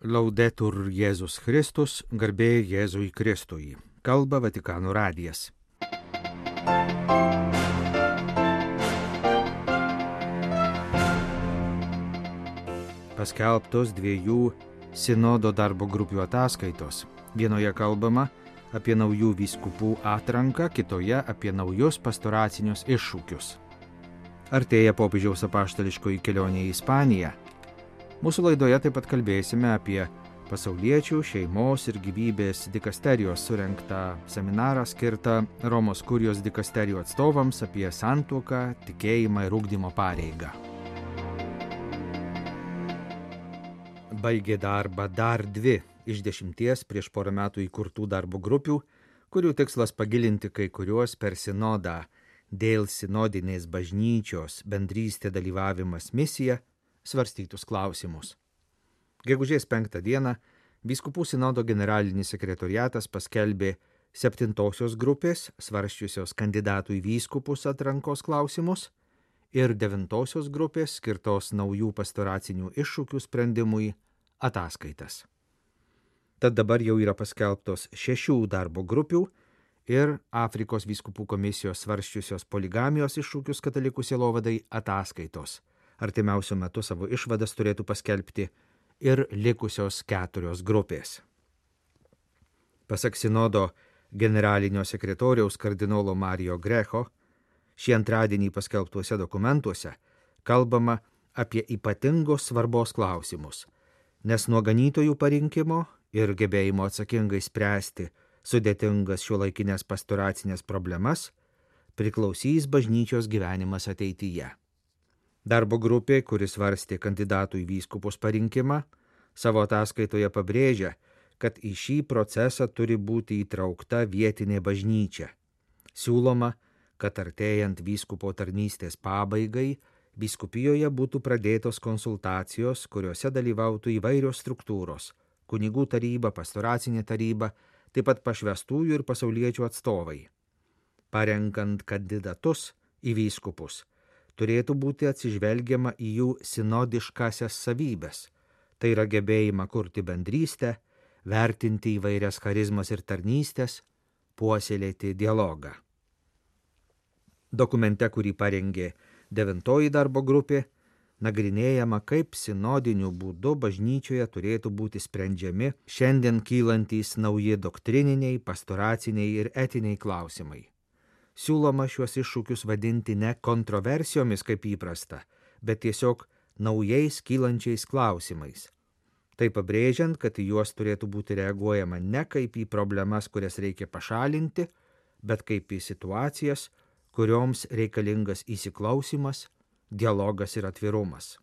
Laudetur Jėzus Kristus, garbė Jėzui Kristui. Kalba Vatikano radijas. Paskelbtos dviejų sinodo darbo grupių ataskaitos. Vienoje kalbama apie naujų vyskupų atranką, kitoje apie naujus pastoracinius iššūkius. Artėja popiežiaus apaštališkoji kelionė į Ispaniją. Mūsų laidoje taip pat kalbėsime apie pasauliečių, šeimos ir gyvybės dikasterijos surengtą seminarą skirtą Romos kurijos dikasterijų atstovams apie santuoką, tikėjimą ir ugdymo pareigą. Baigė darbą dar 2 iš 10 prieš porą metų įkurtų darbo grupių, kurių tikslas pagilinti kai kuriuos per sinodą dėl sinodinės bažnyčios bendrystė dalyvavimas misija svarstytus klausimus. Gegužės 5 dieną vyskupų sinodo generalinis sekretoriatas paskelbė 7 grupės svarsčiusios kandidatų į vyskupus atrankos klausimus ir 9 grupės skirtos naujų pastoracinių iššūkių sprendimui ataskaitas. Tad dabar jau yra paskelbtos 6 darbo grupių ir Afrikos vyskupų komisijos svarsčiusios poligamijos iššūkius katalikų sielovadai ataskaitos. Artimiausiu metu savo išvadas turėtų paskelbti ir likusios 4 grupės. Pasak sinodo generalinio sekretoriaus kardinolo Mario Greco, šį antradienį paskelbtuose dokumentuose kalbama apie ypatingos svarbos klausimus, nes nuo ganytojų parinkimo ir gebėjimo atsakingai spręsti sudėtingas šiuolaikinės pastoracinės problemas priklausys bažnyčios gyvenimas ateityje. Darbo grupė, kuris svarstė kandidatų į vyskupus parinkimą, savo ataskaitoje pabrėžia, kad į šį procesą turi būti įtraukta vietinė bažnyčia. Siūloma, kad artėjant vyskupo tarnystės pabaigai, vyskupijoje būtų pradėtos konsultacijos, kuriuose dalyvautų įvairios struktūros – kunigų taryba, pastoracinė taryba, taip pat pašvęstųjų ir pasauliečių atstovai. Parenkant kandidatus į vyskupus, turėtų būti atsižvelgiama į jų sinodiškasias savybes, tai yra gebėjimą kurti bendrystę, vertinti įvairias charizmas ir tarnystės, puoselėti dialogą. Dokumente, kurį parengė 9 darbo grupė, nagrinėjama, kaip sinodiniu būdu bažnyčioje turėtų būti sprendžiami šiandien kylantys nauji doktrininiai, pastoraciniai ir etiniai klausimai. Siūloma šiuos iššūkius vadinti ne kontroversijomis kaip įprasta, bet tiesiog naujais kylančiais klausimais. Tai pabrėžiant, kad į juos turėtų būti reaguojama ne kaip į problemas, kurias reikia pašalinti, bet kaip į situacijas, kurioms reikalingas įsiklausimas, dialogas ir atvirumas.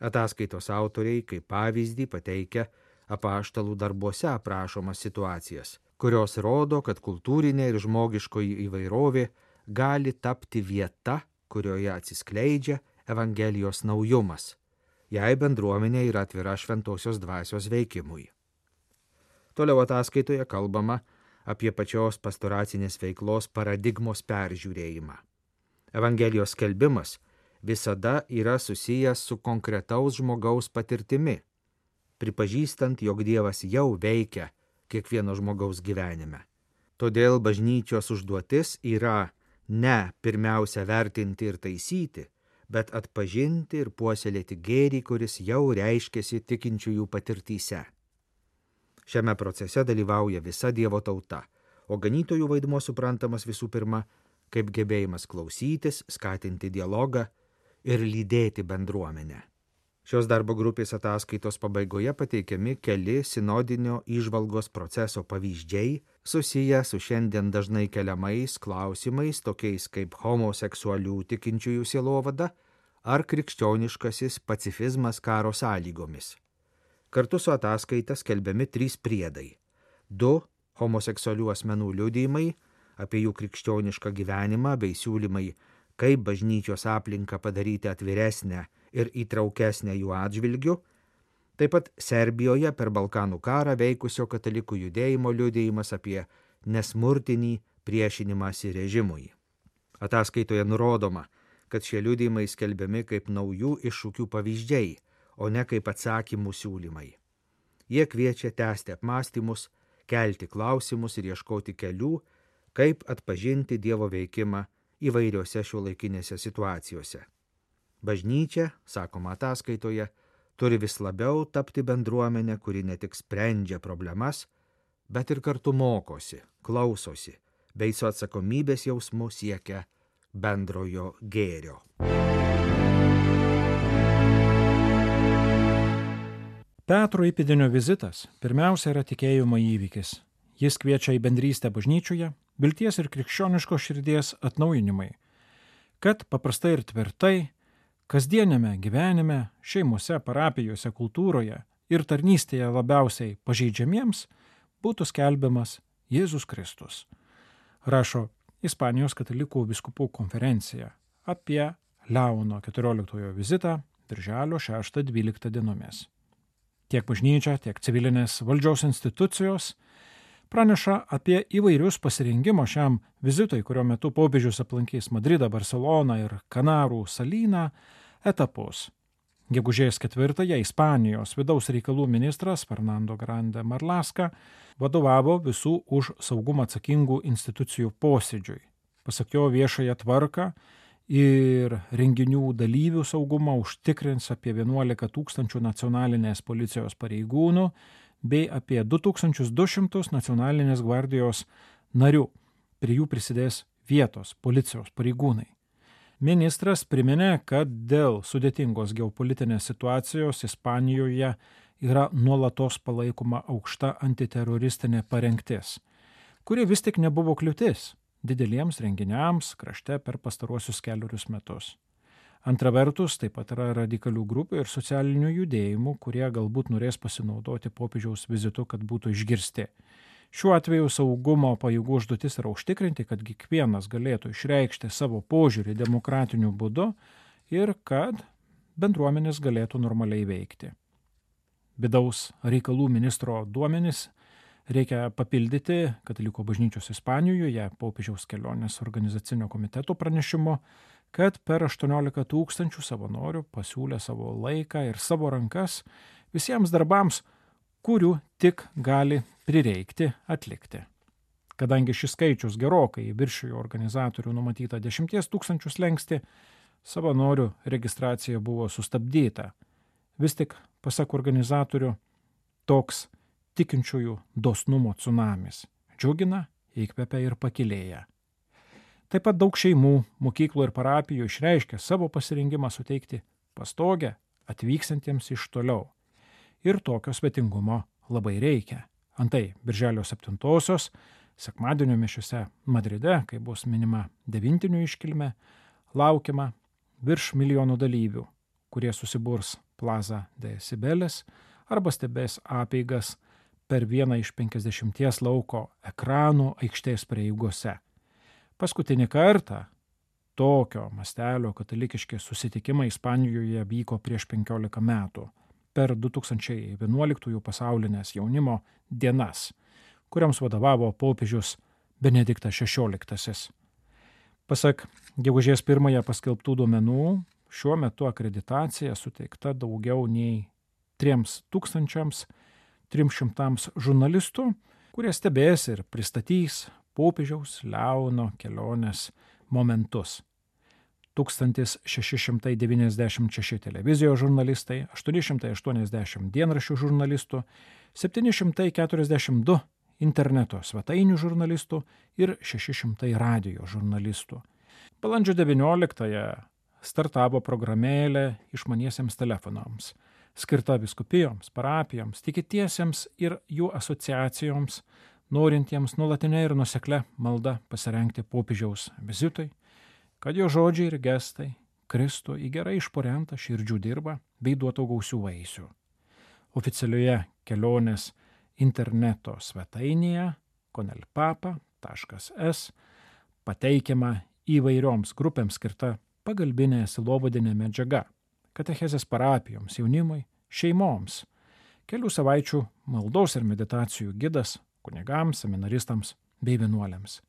Ataskaitos autoriai kaip pavyzdį pateikia apaštalų darbuose aprašomas situacijas, kurios rodo, kad kultūrinė ir žmogiškoji įvairovė gali tapti vieta, kurioje atsiskleidžia Evangelijos naujumas, jei bendruomenė yra atvira šventosios dvasios veikimui. Toliau ataskaitoje kalbama apie pačios pastoracinės veiklos paradigmos peržiūrėjimą. Evangelijos skelbimas visada yra susijęs su konkretaus žmogaus patirtimi, pripažįstant, jog Dievas jau veikia kiekvieno žmogaus gyvenime. Todėl bažnyčios užduotis yra ne pirmiausia vertinti ir taisyti, bet atpažinti ir puoselėti gėrį, kuris jau reiškiasi tikinčiųjų patirtyse. Šiame procese dalyvauja visa Dievo tauta, o ganytojų vaidmuo suprantamas visų pirma kaip gebėjimas klausytis, skatinti dialogą ir lydėti bendruomenę. Šios darbo grupės ataskaitos pabaigoje pateikiami keli sinodinio įžvalgos proceso pavyzdžiai susiję su šiandien dažnai keliamais klausimais, tokiais kaip homoseksualių tikinčiųjų sielovada ar krikščioniškasis pacifizmas karo sąlygomis. Kartu su ataskaita skelbiami 3 priedai. 2 homoseksualių asmenų liudijimai apie jų krikščionišką gyvenimą bei siūlymai, kaip bažnyčios aplinką padaryti atviresnę ir įtraukesnę jų atžvilgių, taip pat Serbijoje per Balkanų karą veikusio katalikų judėjimo liudijimas apie nesmurtinį priešinimąsi režimui. Ataskaitoje nurodoma, kad šie liudijimai skelbiami kaip naujų iššūkių pavyzdžiai, o ne kaip atsakymų siūlymai. Jie kviečia tęsti apmąstymus, kelti klausimus ir ieškoti kelių, kaip atpažinti Dievo veikimą įvairiose šiuolaikinėse situacijose. Bažnyčia, sakoma ataskaitoje, turi vis labiau tapti bendruomenė, kuri ne tik sprendžia problemas, bet ir kartu mokosi, klausosi, bei su atsakomybės jausmu siekia bendrojo gėrio. Petro įpėdinio vizitas pirmiausia yra tikėjimo įvykis. Jis kviečia į bendrystę bažnyčioje, vilties ir krikščioniškos širdies atnaujinimai, kad paprastai ir tvirtai, kasdienėme gyvenime, šeimose, parapijose, kultūroje ir tarnystėje labiausiai pažeidžiamiems būtų skelbiamas Jėzus Kristus. Rašo Ispanijos katalikų vyskupų konferencija apie Leono XIV vizitą birželio 6-12 dienomis. Tiek bažnyčia, tiek civilinės valdžios institucijos praneša apie įvairius pasirengimo šiam vizitui, kurio metu popiežius aplankys Madridą, Barceloną ir Kanarų salyną etapus. Gegužės 4-ąją Ispanijos vidaus reikalų ministras Fernando Grande Marlaska vadovavo visų už saugumą atsakingų institucijų posėdžiui. Pasak jo, viešąją tvarką ir renginių dalyvių saugumą užtikrins apie 11 000 nacionalinės policijos pareigūnų bei apie 2200 nacionalinės gvardijos narių. Prie jų prisidės vietos policijos pareigūnai. Ministras priminė, kad dėl sudėtingos geopolitinės situacijos Ispanijoje yra nuolatos palaikoma aukšta antiteroristinė parengtis, kuri vis tik nebuvo kliūtis dideliems renginiams krašte per pastaruosius 4 metus. Antra vertus, taip pat yra radikalių grupių ir socialinių judėjimų, kurie galbūt norės pasinaudoti popiežiaus vizitu, kad būtų išgirsti. Šiuo atveju saugumo pajėgų užduotis yra užtikrinti, kad kiekvienas galėtų išreikšti savo požiūrį demokratiniu būdu ir kad bendruomenės galėtų normaliai veikti. Vidaus reikalų ministro duomenys reikia papildyti Katalikų bažnyčios Ispanijoje popiežiaus kelionės organizacinio komiteto pranešimu, kad per 18 000 savanorių pasiūlė savo laiką ir savo rankas visiems darbams, kurių tik gali prireikti atlikti. Kadangi šis skaičius gerokai viršijo organizatorių numatytą 10 000 slengsti, savanorių registracija buvo sustabdyta. Vis tik, pasak organizatorių, toks tikinčiųjų dosnumo tsunamis džiugina, įkvepia ir pakilėja. Taip pat daug šeimų, mokyklų ir parapijų išreiškė savo pasirengimą suteikti pastogę atvyksantiems iš toliau. Ir tokio svetingumo labai reikia. Antai, birželio 7-osios, sekmadienio mišiose Madride, kai bus minima devintinių iškilmė, laukiama virš 1 milijono dalyvių, kurie susiburs Plaza de Cibeles arba stebės apeigas per vieną iš 50 lauko ekranų aikštės prieigose. Paskutinį kartą tokio mastelio katalikiški susitikimai Ispanijoje vyko prieš 15 metų, per 2011 pasaulinės jaunimo dienas, kuriams vadovavo popiežius Benediktas XVI. Pasak gegužės 1 paskelbtų duomenų, šiuo metu akreditacija suteikta daugiau nei 3300 žurnalistų, kurie stebės ir pristatys popiežiaus Leono kelionės momentus. 1696 televizijos žurnalistai, 880 dienraščių žurnalistų, 742 interneto svetainių žurnalistų ir 600 radijo žurnalistų. Balandžio 19-ąją startavo programėlė išmaniesiems telefonams, skirta vyskupijoms, parapijoms, tikintiesiems ir jų asociacijoms, norintiems nuolatinę ir nuoseklią maldą pasirengti popiežiaus vizitui, kad jo žodžiai ir gestai kristų į gerai išporentą širdžių dirbą bei duotų gausių vaisių. Oficialioje kelionės interneto svetainėje conelpapa.es pateikiama įvairioms grupėms skirta pagalbinė sielovadinė medžiaga, katechezės parapijoms, jaunimui, šeimoms, kelių savaičių maldos ir meditacijų gidas kunigams, seminaristams bei vienuoliams.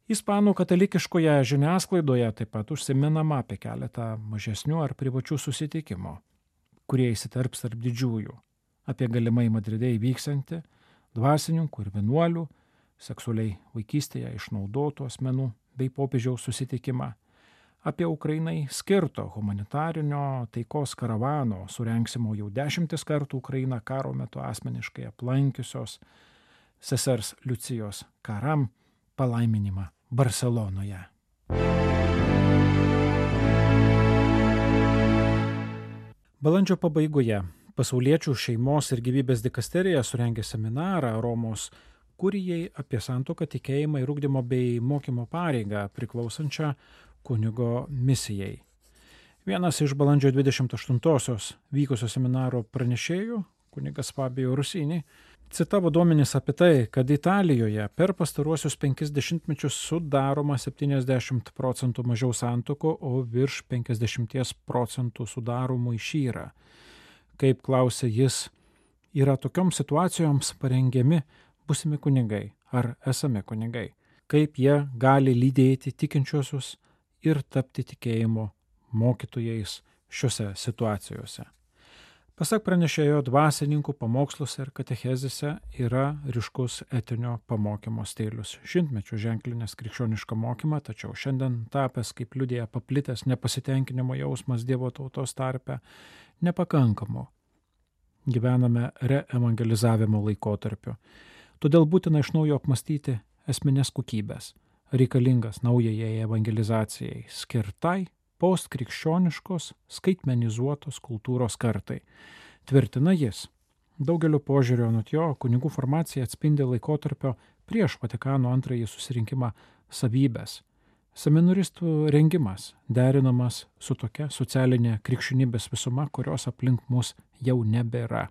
Ispanų katalikiškoje žiniasklaidoje taip pat užsiminama apie keletą mažesnių ar privačių susitikimų, kurie įsiterps tarp didžiųjų. apie galimai Madride įvyksiantį dvasininkų ir vienuolių, seksualiai vaikystėje išnaudotų asmenų bei popiežiaus susitikimą, apie Ukrainai skirto humanitarinio taikos karavano, surengsimo jau 10 kartų Ukrainą karo metu asmeniškai aplankiusios sesers Liucijos Karam palaiminimą Barselonoje. Balandžio pabaigoje Pasauliečių šeimos ir gyvybės dikasterija surengė seminarą Romos kurijai apie santuoką, tikėjimą ir ugdymo bei mokymo pareigą priklausančią kunigo misijai. Vienas iš balandžio 28-osios vykusio seminaro pranešėjų, kunigas Fabio Rusini, citavo duomenis apie tai, kad Italijoje per pastaruosius 50 metus sudaroma 70% mažiau santuokų, o virš 50% sudaromų išyra. Kaip klausė jis, yra tokioms situacijoms parengiami būsimi kunigai ar esami kunigai, kaip jie gali lydėti tikinčiuosius ir tapti tikėjimo mokytojais šiuose situacijose. Pasak pranešėjo, dvasininkų pamoksluose ir katechezėse yra ryškus etinio pamokymo stilius. Šimtmečių ženklinės krikščionišką mokymą, tačiau šiandien tapęs, kaip liudija paplitęs nepasitenkinimo jausmas Dievo tautos tarpe, nepakankamu. Gyvename reevangelizavimo laikotarpiu. Todėl būtina iš naujo apmastyti esminės kokybės, reikalingas naujajai evangelizacijai skirtai postkrikščioniškos skaitmenizuotos kultūros kartai. Tvirtina jis. Daugelio požiūrio anot jo kunigų formacija atspindi laikotarpio prieš Vatikano antrąjį susirinkimą savybės. Seminaristų rengimas derinamas su tokia socialinė krikščionybės visuma, kurios aplink mus jau nebėra.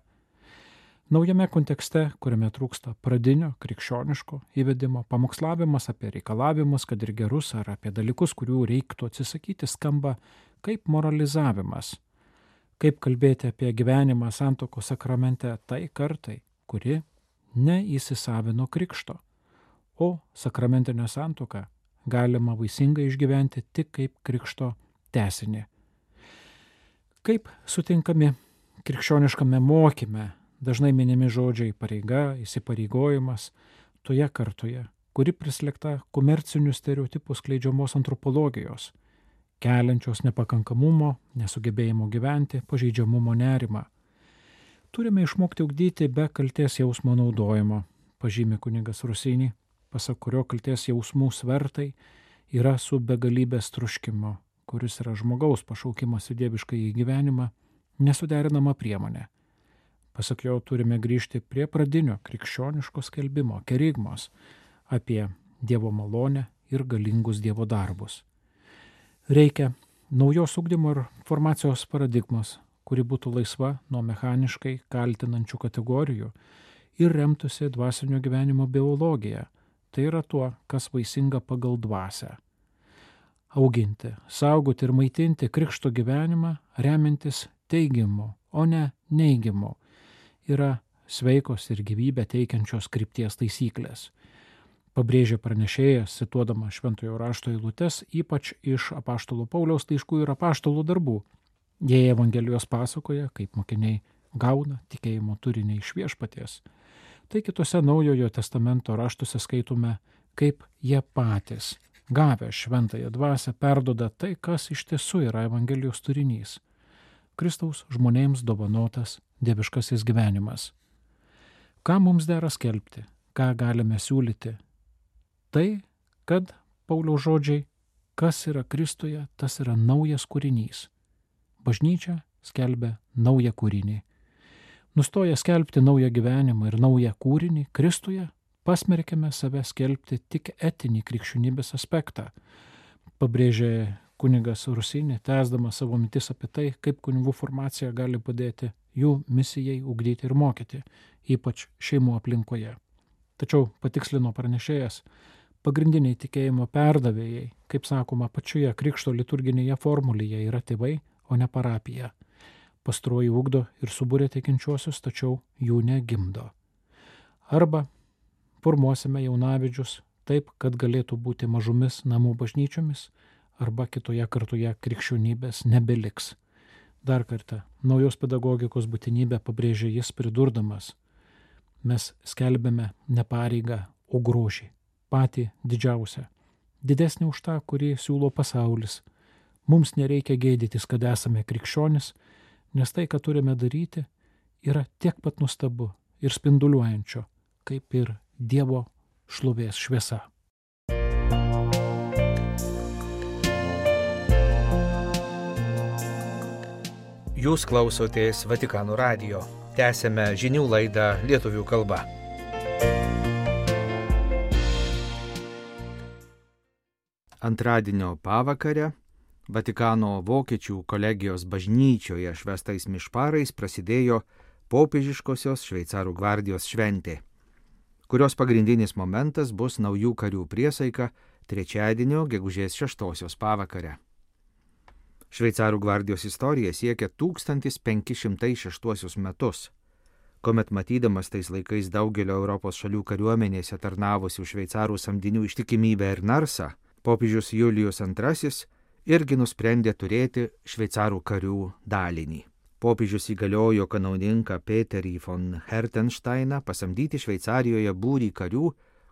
Naujame kontekste, kuriame trūksta pradinio krikščioniško įvedimo, pamokslavimas apie reikalavimus, kad ir gerus, ar apie dalykus, kurių reiktų atsisakyti, skamba kaip moralizavimas. Kaip kalbėti apie gyvenimą santuokos sakramente tai kartai, kuri neįsisavino krikšto, o sakramentinę santuoką galima vaisingai išgyventi tik kaip krikšto tęsinį. Kaip sutinkami krikščioniškame mokyme dažnai minimi žodžiai pareiga, įsipareigojimas toje kartoje, kuri prislėgta komercinių stereotipų skleidžiamos antropologijos, keliančios nepakankamumo, nesugebėjimo gyventi, pažeidžiamumo nerimą. Turime išmokti ugdyti be kaltės jausmo naudojimo, pažymi kunigas Rusini, pasak kurio kaltės jausmų svertai yra su begalybės troškimo, kuris yra žmogaus pašaukimas į dieviškąjį gyvenimą, nesuderinama priemonė. Pasak jo, turime grįžti prie pradinio krikščioniško skelbimo, kerigmos, apie Dievo malonę ir galingus Dievo darbus. Reikia naujos ugdymo ir formacijos paradigmos, kuri būtų laisva nuo mechaniškai kaltinančių kategorijų ir remtųsi dvasinio gyvenimo biologija, tai yra tuo, kas vaisinga pagal dvasią. Auginti, saugoti ir maitinti krikšto gyvenimą remiantis teigimu, o ne neigimu, yra sveikos ir gyvybę teikiančios krypties taisyklės. Pabrėžė pranešėjas, cituodama šventojo rašto eilutes, ypač iš apaštalo Pauliaus laiškų ir apaštalų darbų. Jie Evangelijos pasakoja, kaip mokiniai gauna tikėjimo turinį iš viešpaties. Tai kitose Naujojo testamento raštuose skaitome, kaip jie patys, gavę šventąją dvasią, perduoda tai, kas iš tiesų yra Evangelijos turinys. Kristaus žmonėms dovanotas dieviškasis gyvenimas. Ką mums dera skelbti, ką galime siūlyti? Tai, kad Pauliaus žodžiai, kas yra Kristuje, tas yra naujas kūrinys. Bažnyčia skelbia naują kūrinį. Nustoję skelbti naują gyvenimą ir naują kūrinį Kristuje, pasmerkėme save skelbti tik etinį krikščionybės aspektą. Pabrėžė kunigas Rusini, tęsdamas savo mintis apie tai, kaip kunigų formacija gali padėti jų misijai ugdyti ir mokyti, ypač šeimų aplinkoje. Tačiau, patikslino pranešėjas, pagrindiniai tikėjimo perdavėjai, kaip sakoma, pačioje krikšto liturginėje formulėje yra tėvai, o ne parapija. Pastaroji ugdo ir subūrė tikinčiuosius, tačiau jų negimdo. Arba formuosime jaunavedžius taip, kad galėtų būti mažomis namų bažnyčiomis, arba kitoje kartoje krikščionybės nebeliks. Dar kartą, naujos pedagogikos būtinybę pabrėžė jis pridurdamas: mes skelbiame ne pareigą, o grožį, patį didžiausią, didesnį už tą, kurį siūlo pasaulis. Mums nereikia gėdytis, kad esame krikščionis, nes tai, ką turime daryti, yra tiek pat nuostabu ir spinduliuojančio, kaip ir Dievo šlovės šviesa. Jūs klausotės Vatikano radijo. Tęsėme žinių laidą lietuvių kalba. Antradienio pavakarę Vatikano vokiečių kolegijos bažnyčioje švęstais mišparais prasidėjo popiežiškosios šveicarų gvardijos šventė, kurios pagrindinis momentas bus naujų karių priesaika trečiadienio gegužės 6 pavakarę. Šveicarų gvardijos istorija siekia 1506 metus, kuomet matydamas tais laikais daugelio Europos šalių kariuomenėse tarnavusių šveicarų samdinių ištikimybę ir narsą, popiežius Julijus II irgi nusprendė turėti šveicarų karių dalinį. Popiežius įgaliojo kanauninką Peterį von Hertensteiną pasamdyti Šveicarijoje būrį karių,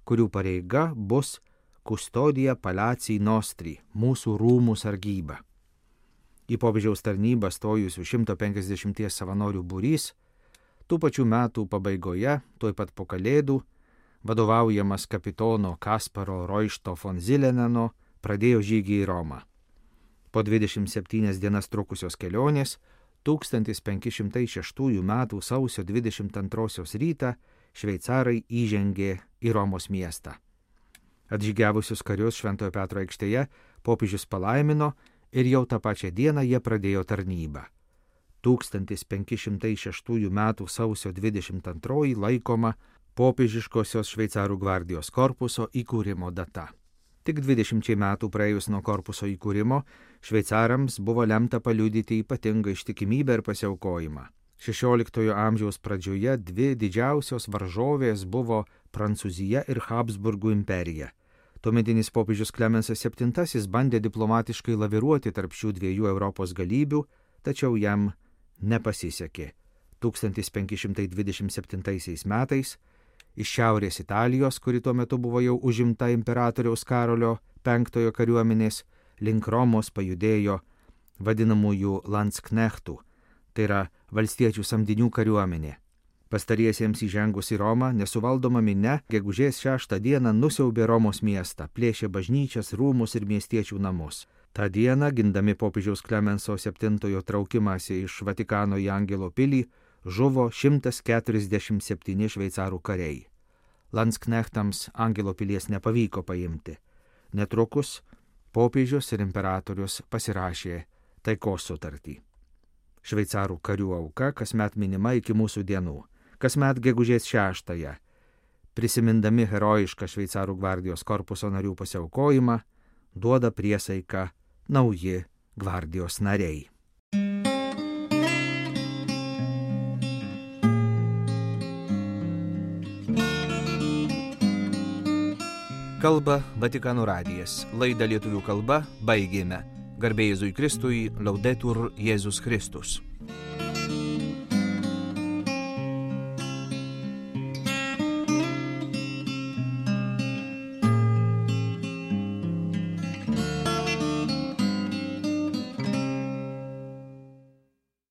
kurių pareiga bus Custodia Palacii Nostri, mūsų rūmų sargyba. Į popiežiaus tarnybą stojusių 150 savanorių būrys, tų pačių metų pabaigoje, tuoj pat po Kalėdų, vadovaujamas kapitono Kasparo Roišto von Zileneno, pradėjo žygį į Romą. Po 27 dienas trukusios kelionės 1506 metų sausio 22 rytą šveicarai įžengė į Romos miestą. Atžygiavusius karius Šventojo Petro aikštėje popiežius palaimino ir jau tą pačią dieną jie pradėjo tarnybą. 1506 metų sausio 22 laikoma popiežiškosios šveicarų gvardijos korpuso įkūrimo data. Tik 20 metų praėjus nuo korpuso įkūrimo, šveicarams buvo lemta paliudyti ypatingą ištikimybę ir pasiaukojimą. 16 amžiaus pradžioje dvi didžiausios varžovės buvo Prancūzija ir Habsburgų imperija. Tuometinis popiežius Klemensas VII bandė diplomatiškai laviruoti tarp šių dviejų Europos galybių, tačiau jam nepasisekė. 1527 metais iš šiaurės Italijos, kuri tuo metu buvo jau užimta imperatoriaus Karolio V kariuomenės, link Romos pajudėjo vadinamųjų Landsknechtų, tai yra valstiečių samdinių kariuomenė. Pastariesiems įžengus į Romą, nesuvaldoma minia gegužės 6 dieną nusiaubė Romos miestą, plėšė bažnyčias, rūmus ir miestiečių namus. Ta diena, gindami popiežiaus Klemenso VII traukimąsi iš Vatikano į Angelo pilį, žuvo 147 šveicarų kariai. Landsknechtams Angelo pilies nepavyko paimti. Netrukus popiežius ir imperatorius pasirašė taikos sutartį. Šveicarų karių auka kasmet minima iki mūsų dienų, kasmet gegužės 6, prisimindami herojišką šveicarų gvardijos korpuso narių pasiaukojimą, duoda priesaiką nauji gvardijos nariai. Kalba Vatikano radijas. Laidą lietuvių kalba baigėme. Garbė Jėzui Kristui, Laudetur Jėzus Kristus.